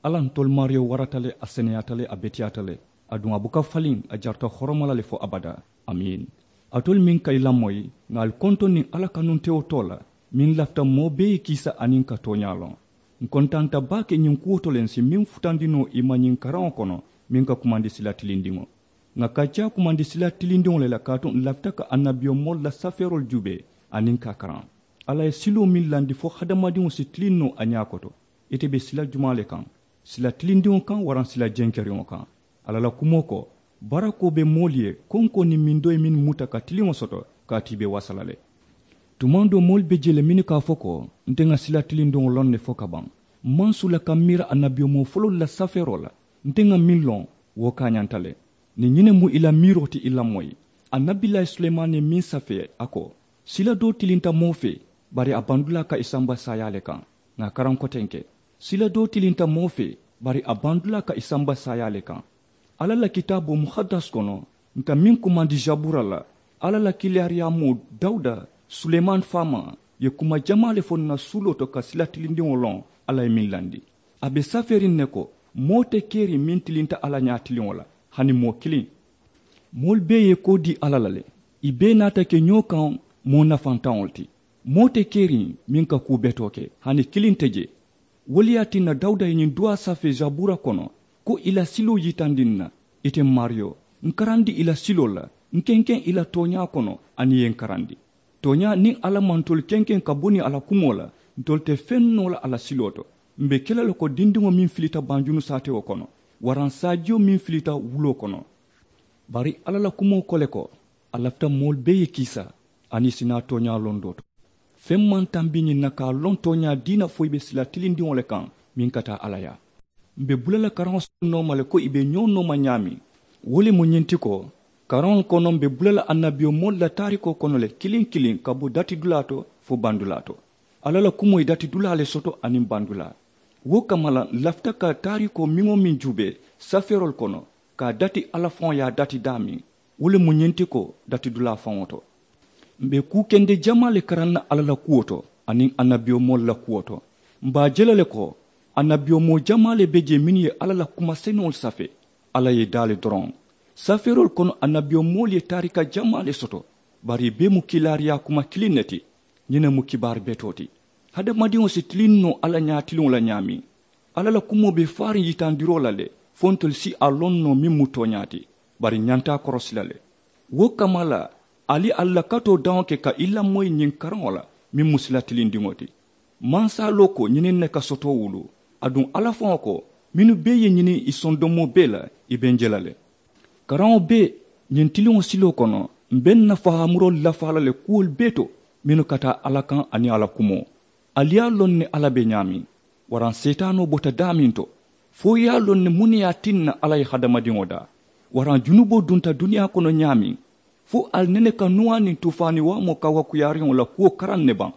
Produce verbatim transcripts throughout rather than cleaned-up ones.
Alla ntolu maariyo warata le, a seneyaata le, a beteyaata le. Aduŋ a buka faliŋ, a jarata horoma la le fo abadaa. Amiin. Alitolu meŋ ka i lamoyi, ŋà ali kontoŋ niŋ alla kanuntewo too la, meŋ lafita moo bee ye kiisa aniŋ ka tooñaa loŋ. Ǹ kontaanta baake ñiŋ kuwo to le ǹ si meŋ futandi noo i ma ñiŋ karaŋo kono, meŋ ka kumandi sila tilindiŋo. Ŋà kacaa kumandi sila tilindiŋo le la kaatu ǹ lafita ka annabiyomoolu la safeeroolu juubee, aniŋ ka a karaŋ. Alla ye siloo meŋ landi fo hadamadiŋo si tiliŋ noo a ñaa koto. Ite be sila jumaa le kaŋ? Sila tilindiŋo kaŋ waraŋ sila jenkeriŋo kaŋ? Alla la kumoo ko, barakoo be moolu ye konkoo niŋ mindoo ye mennu muta ka tiliŋo soto, kaatu i be wasa la le. Tumaŋ doo moolu be jee le mennu ka a fo ko, nte ŋa sila tilindiŋo loŋ ne fo ka baŋ. Maŋ sula ka miira annabiyomoo foloolu la safeeroo la. Nte ŋa meŋ loŋ, wo kaañanta le. Niŋ ñiŋ ne mu i la miiroo ti i lamoyi, annabilaayi sulemaani ye meŋ safee a ko, sila doo tilinta moo fee, bari a bandulaa ka i samba saayaa le kaŋ. Ŋà a karaŋ kotenke, sila doo tilinta moo fee, bari a bandulaa ka i samba saayaa le kaŋ. Alla la kitaaboo muhaddas kono, ǹ ka meŋ kumandi zabura la, alla la kiilaariyaamoo dawuda, sulemaani faamaa, ye kuma jamaa le fo ǹ na suuloo to ka sila tilindiŋo loŋ. Alla ye meŋ landi, a be safeeriŋ ne ko, moo te keriŋ meŋ tilinta alla ñaatiliŋo la, hani moo kiliŋ. Moolu bee ye koo dii alla la le, i bee naata ke ñoo kaŋ moo nafantaŋo le ti. Moo te keriŋ meŋ ka kuu betoo ke, hani kiliŋ te jee. Wo le ye a tinna dawuda ye ñiŋ duwaa safee zabura kono, ko i la siloo yitandi ǹ na. Ite maariyo, ǹ karandi i la siloo la, ǹ kenkeŋ i la tooñaa kono, aniŋ i ye ǹ karandi. Tooñaa niŋ alla maŋ ntolu kenkeŋ ka bo niŋ a la kumoo la, ntolu te feŋ noo la a la siloo to. M̀ be ke la le ko dindiŋo meŋ filita banjunu saatewo kono, waraŋ saajiyo meŋ filita wuloo kono. Bari alla la kumoo ko le ko, a lafita moolu bee ye kiisa, aniŋ i si naa tooñaa londoo to. Feŋ maŋ tambi ñiŋ na ka a loŋ tooñaa diina fo i be sila tilindiŋo le kaŋ, meŋ ka taa alla yaa. M̀ be bula la karaŋo soto nooma le ko i be ñoo nooma ñaameŋ. Wo le mu ñiŋ ti ko, karaŋolu kono m̀ be bula la annabiyomoolu la taarikoo kono le kiliŋ kiliŋ ka bo datidulaa to fo bandulaa to. Alla la kumoo ye datidulaa le soto aniŋ bandulaa. Wo kamma la ǹ lafita ka taarikoo meŋ-wo-meŋ juubee safeeroolu kono, ka a dati alla faŋo ye a dati daameŋ. Wo le mu ñiŋ ti ko, datidulaa faŋo to m̀ be kuu kende jamaa le karaŋ na alla la kuwo to, aniŋ annabiyomoolu la kuwo to. M̀ be a je la le ko, annabiyomoo jamaa le be jee mennu ye alla la kuma senuŋolu safee. Alla ye i daa le doroŋ. Safeeroolu kono annabiyomoolu ye taarika jamaa le soto, bari i bee mu kiilaariyaa kuma kiliŋ ne ti. Ñiŋ ne mu kibaari betoo ti. Hadamadiŋo si tiliŋ noo alla ñaatiliŋo la ñaameŋ. Alla la kumoo be faariŋ yitandiroo la le, fo ntolu si a loŋ noo meŋ mu tooñaa ti. Bari ǹ ñanta a korosi la le. Wo kamma la, ali ali la katoo daŋo ke ka i lamoyi ñiŋ karaŋo la, meŋ mu sila tilindiŋo ti. Mansaaloo ko ñiniŋ ne ka soto wulu. Aduŋ alla faŋo ko, mennu bee ye ñiniŋ i sondomoo bee la, i be ǹ je la le. Karaŋo bee, ñiŋ tiliŋo siloo kono, m̀ be ǹ na fahaamuroolu lafaa la le kuwolu bee to, mennu ka taa alla kaŋ aniŋ a la kumoo. Ali ye a loŋ ne alla be ñaameŋ, waraŋ seetaanoo bota daameŋ to? Fo i ye a loŋ ne muŋ ne ye a tinna alla ye hadamadiŋo daa? Waraŋ junuboo dunta duniyaa kono ñaameŋ? Fo ali nene ka nuwaa niŋ tuufaani waamoo kawakuyaariŋo la kuwo karaŋ ne baŋ?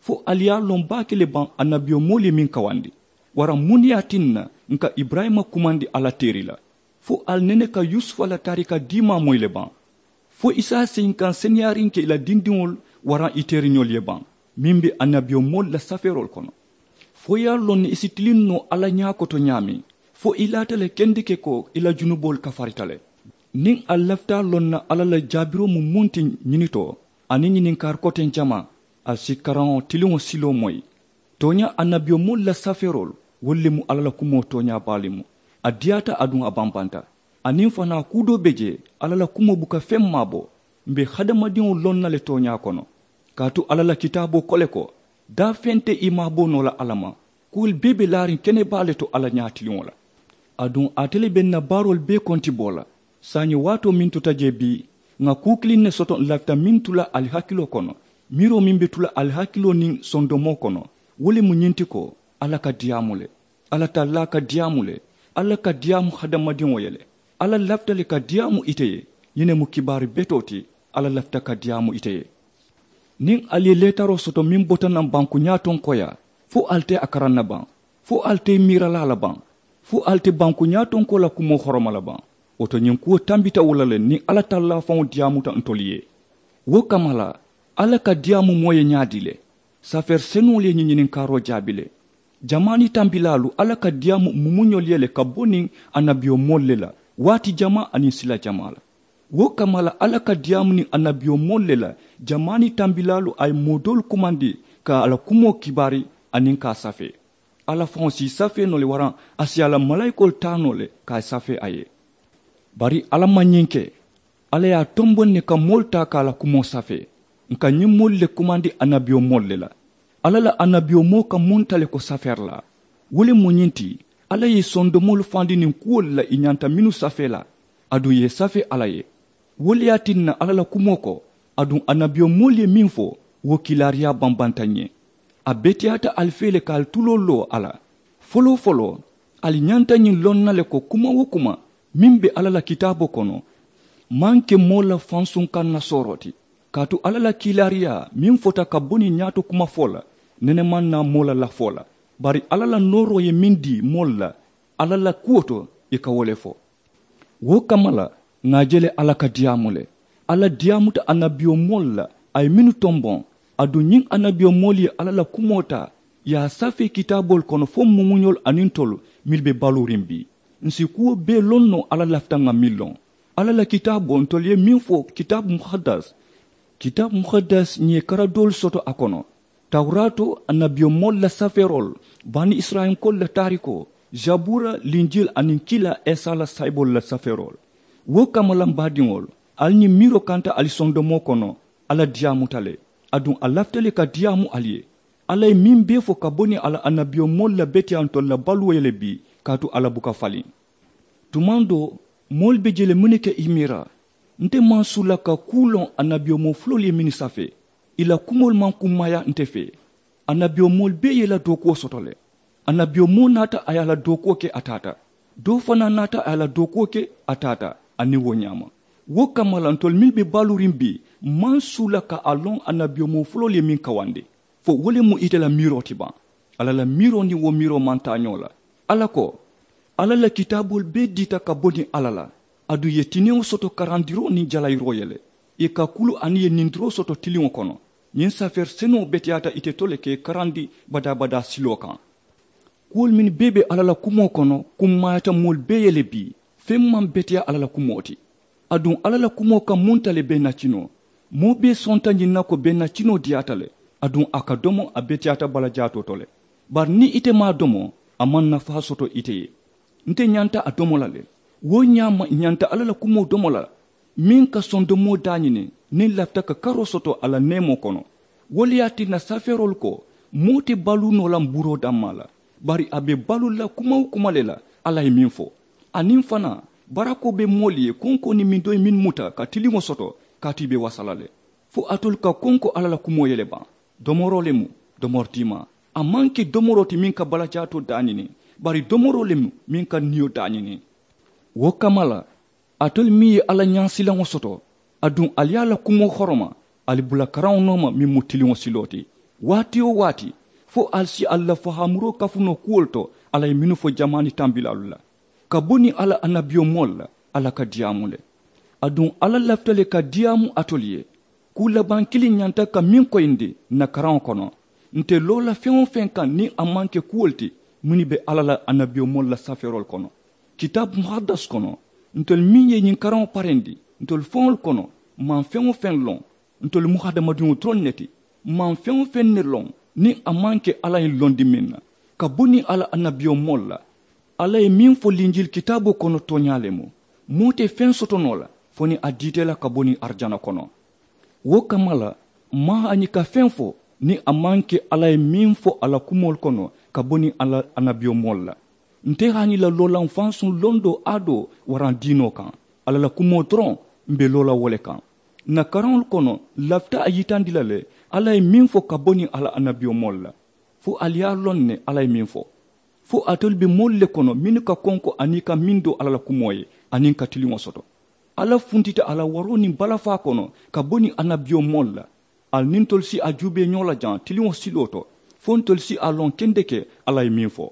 Fo ali ye a loŋ baake le baŋ annabiyomoolu ye meŋ kawandi? Waraŋ muŋ ne ye a tinna ǹ ka iburayima kumandi alla teeri la? Fo ali nene ka yusufa la taarika diimaa moyi le baŋ? Fo i si a seyinkaŋ seneyaariŋ ke i la dindiŋolu waraŋ i teeriñolu ye baŋ? Meŋ be annabiyomoolu la safeeroolu kono. Fo i ye a loŋ ne i si tiliŋ noo alla ñaa koto ñaameŋ? Fo i laata le kendeke ko i la junuboolu kafarita le? Niŋ ali lafita a loŋ na alla la jaabiroo mu muŋ ti ñini to, aniŋ ñininkaari koteŋ jamaa, ali si karaŋo tiliŋo siloo moyi. Tooñaa annabiyomoolu la safeeroolu, wolu le mu alla la kumoo tooñaa baalu mu. A diyaata aduŋ a bambanta. Aniŋ fanaa kuu doo be jee, alla la kumoo buka feŋ maabo. M̀ be hadamadiŋo loŋ na le tooñaa kono. Kaatu alla la kitaaboo ko le ko, daafeŋ te i maaboo noo la alla ma. Kuwolu bee be laariŋ kene baa le to alla ñaatiliŋo la. Aduŋ ate le be ǹ na baaroolu bee kontiboo la. Saayiŋ waatoo meŋ tuta jee bii, ŋà kuu kiliŋ ne soto ǹ lafita meŋ tu la ali hakiloo kono. Miiroo meŋ be tu la ali hakiloo niŋ sondomoo kono, wo le mu ñiŋ ti ko, alla ka diyaamu le. Alla tallaa ka diyaamu le. Alla ka diyaamu hadamadiŋo ye le. Alla lafita le ka diyaamu ite ye. Ñiŋ ne mu kibaari betoo ti. Alla lafita ka diyaamu ite ye. Niŋ ali ye leetaroo soto meŋ bota naŋ banku ñaatonkoo yaa, fo ali te a karaŋ na baŋ? Fo ali te i miira la a la baŋ? Fo ali te banku ñaatonkoo la kumoo horoma la baŋ? Wo to ñiŋ kuwo tambita wo la le niŋ alla tallaa faŋo diyaamuta ntolu ye. Wo kamma la, alla ka diyaamu moo ye ñaadii le? Safeeri senuŋolu ye ñiŋ ñininkaaroo jaabi le. Jamaani tambilaalu alla ka diyaamu mumuñolu ye le ka bo niŋ annabiyomoolu le la waati jamaa aniŋ sila jamaa la. Wo kamma la alla ka diyaamu niŋ annabiyomoolu le la jamaani tambilaalu a ye moo doolu kumandi ka a la kumoo kibaari aniŋ ka a safee. Alla faŋo si i safee noo le waraŋ a si a la malaayikoolu taa noo le ka a ye safee a ye. Bari alla maŋ ñiŋ ke. Alla ye a tomboŋ ne ka moolu taa ka a la kumoo safee. Nka ñiŋ moolu le kumandi annabiyomoolu le la. Alla la annabiyomoo ka munta le ko safeerilaa. Wo le mu ñiŋ ti alla ye i sondomoolu fandi niŋ kuwolu la i ñanta mennu safee la. Aduŋ i ye safee alla ye. Wo le ye a tinna alla la kumoo ko aduŋ annabiyomoolu ye meŋ fo wo kiilaariyaa bambanta n ye. A beteyaata ali fee le ka ali tuloo loo a la. Foloo foloo ali ñanta ñiŋ loŋ na le ko kuma wo kuma meŋ be alla la kitaaboo kono maŋ ke moo la fansuŋ kaŋ na sooroo ti. Kaatu alla la kiilaariyaa meŋ fota ka bo niŋ ñaato kuma fo la nene maŋ naa moo la lafoo la. Bari alla la nooroo ye meŋ dii moolu la alla la kuwo to i ka wo le fo. Wo kamma la ŋà a je le alla ka diyaamu le. Alla diyaamuta annabiyomoolu la a ye mennu tomboŋ. Aduŋ ñiŋ annabiyomoolu ye alla la kumoo taa i ye a safee kitaaboolu kono fo mumuñolu aniŋ ntolu mennu be baluuriŋ bii. Ǹ si kuwo bee loŋ noo alla lafita ŋà meŋ loŋ. Alla la kitaaboo ntolu ye meŋ fo kitaabu muhaddas. Kitaabu muhaddas ǹ ye kara doolu soto a kono. Tawuraato annabiyomoolu la safeeroolu bani isirayilankoolu la taarikoo, zabuura, linjili aniŋ kiilaa isa la saayiboolu la safeeroolu. Wo kamma la m baadiŋolu ali ñiŋ miiroo kanta ali sondomoo kono. Alla diyaamuta le aduŋ a lafita le ka diyaamu ali ye. Alla ye meŋ bee fo ka bo niŋ a la annabiyomoolu la beteyaa ntolu la baluwo ye le bii kaatu alla buka faliŋ. Tumaŋ doo moolu be je le mennu ke i miira. Nte maŋ suu la ka kuu loŋ annabiyomoo fuloolu ye mennu safee. Ì la kumoolu maŋ kummaaya nte fee. Annabiyomoolu bee ye ì la dookuwo soto le. Annabiyomoo naata a ye a la dookuwo ke a taata. Doo fanaa naata a ye a la dookuwo ke a taata. Aniŋ wo ñaama wo kamma la ntolu mennu be baaluuriŋ bii maŋ suu la ka a loŋ annabiyomoo fuloolu ye meŋ kawandi. Fo wo le mu ite la miiroo ti baŋ. Alla la miiroo niŋ wo miiroo maŋ taa ñoo la. Alla ko, alla la kitaaboolu bee diita ka bo niŋ alla la. Aduŋ ì ye tinewo soto karandiroo niŋ jalayiroo ye le. Ì ka kulu aniŋ ì ye nindiroo soto tiliŋo kono. Ñiŋ safeeri senuŋo beteyaata ite to le ka ì karandi badaa-badaa siloo kaŋ. Kuwolu mennu bee be alla la kumoo kono kummaayata moolu bee ye le bii. Feŋ maŋ beteyaa alla la kumoo ti. Aduŋ alla la kumoo ka munta le bee nacinoo. Moo bee sonta ñiŋ na ko bee nacinoo diyaata le. Aduŋ a ka domo a beteyaata balajaatoo to le. Bari niŋ ite maŋ a domo a maŋ nafaa soto ite ye. Nte ñanta a domo la le. Wo ñaama ǹ ñanta alla la kumoo domo la meŋ ka sondomoo daañini niŋ lafita ka karoo soto a la neemoo kono. Wo le ye a tinna safeeroolu ko moo te baluu noo la mbuuroo dammaa la. Bari a be baluu la kuma-wo-kuma le la alla ye meŋ fo. Aniŋ fanaa barakoo be moolu ye konkoo niŋ mindoyi mennu muta ka tiliŋo soto kaatu ì be wasa la le. Fo alitolu ka konko alla la kumoo ye le baŋ. Domoroo le mu domori diimaa. A maŋ ke domoroo ti meŋ ka balajaatoo daañini. Bari domoroo le mu meŋ ka niyo daañini. Wo kamma la alitolu meŋ ye alla ñaasilaŋo soto aduŋ ali ye a la kumoo horoma ali bula karaŋo nooma meŋ mu tiliŋo siloo ti. Waati-wo-waati fo ali si ali la fahaamuroo kafu noo kuwolu to alla ye mennu fo jamaani tambilaalu la. Ka bo niŋ alla annabiyomoolu la alla ka diyaamu le. Aduŋ alla lafita le ka diyaamu alitolu ye. Kuu labaŋ kiliŋ ñanta ka meŋ koyindi ǹ na karaŋo kono. Nte loo la feŋ-wo-feŋ kaŋ niŋ a maŋ ke kuwolu ti mennu be alla la annabiyomoolu la safeeroolu kono. Kitaabu muhaddas kono ntolu meŋ ye ñiŋ karaŋo parendi ntolu faŋolu kono maŋ feŋ-wo-feŋ loŋ. Ntolu mu hadamadiŋo doroŋ ne ti. Maŋ feŋ-wo-feŋ ne loŋ niŋ a maŋ ke alla ye londi meŋ na. Ka bo niŋ alla annabiyomoolu la alla ye meŋ fo linjili kitaaboo kono tooñaa le mu. Moo te feŋ soto noo la fo niŋ a diita ì la ka bo niŋ arijana kono. Wo kamma la m̀ maŋ hani ka feŋ fo niŋ a maŋ ke alla ye meŋ fo a la kumoolu kono ka bo niŋ alla annabiyomoolu la. Nte hani la loolaŋ fansuŋ londoo aadoo waraŋ diinoo kaŋ. Alla la kumoo doroŋ m̀ be loo la wo le kaŋ. Ǹ na karaŋolu kono lafita a yitandi la le alla ye meŋ fo ka bo niŋ alla annabiyomoolu la. Fo ali ye a loŋ ne alla ye meŋ fo. Fo alitolu be moolu le kono mennu ka konko aniŋ i ka meŋ doo alla la kumoo ye aniŋ ka tiliŋo soto. Alla funtita a la waroo niŋ balafaa kono ka bo niŋ annabiyomoolu la. Ali niŋ ntolu si a juubee ñoo la jaŋ tiliŋo siloo to fo ntolu si a loŋ kendeke alla ye meŋ fo.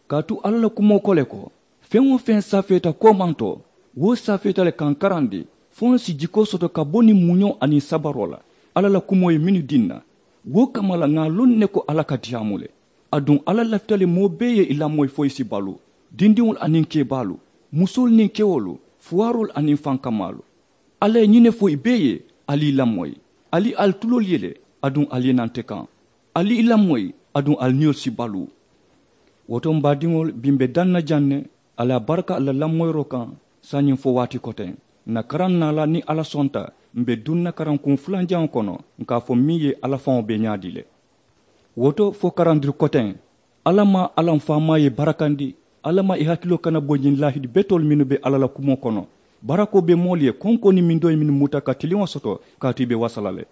Kaatu alla la kumoo ko le ko feŋ-wo-feŋ safeeta koomantoo wo safeeta le ka ǹ karandi fo ǹ si jikoo soto ka bo niŋ muñoo aniŋ sabaroo la. Alla la kumoo ye mennu dii ǹ na wo kamma la ŋà a loŋ ne ko alla ka diyaamu le. Aduŋ alla lafita le moo bee ye i lamoyi fo i si baluu, dindiŋolu aniŋ keebaalu, musoolu niŋ kewolu, fuwaaroolu aniŋ fankamaalu. Alla ye ñiŋ ne fo i bee ye, ali i lamoyi. Ali ali tuloolu ye le, aduŋ ali ye naŋ te kaŋ. Ali i lamoyi, aduŋ ali niyolu si baluu. Wo to m baadiŋolu, bi m be daŋ na jaŋ ne, ali a baraka ali la lamoyiroo kaŋ. Saayiŋ fo waati koteŋ, n na karaŋ naa la niŋ alla sonta, m be duŋ na karankuŋ fulanjaŋo kono, n ka a fo meŋ ye alla faŋo be ñaadii le. Wo to fo karandiri koteŋ, alla maa alla m faamaa ye barakandi. Alla maa i hakiloo kana bo ñiŋ laahidi betoolu mennu be alla la kumoo kono. Barakoo be moolu ye konkoo niŋ mindoo ye mennu muta ka tiliŋo soto, kaatu i be wasa la le.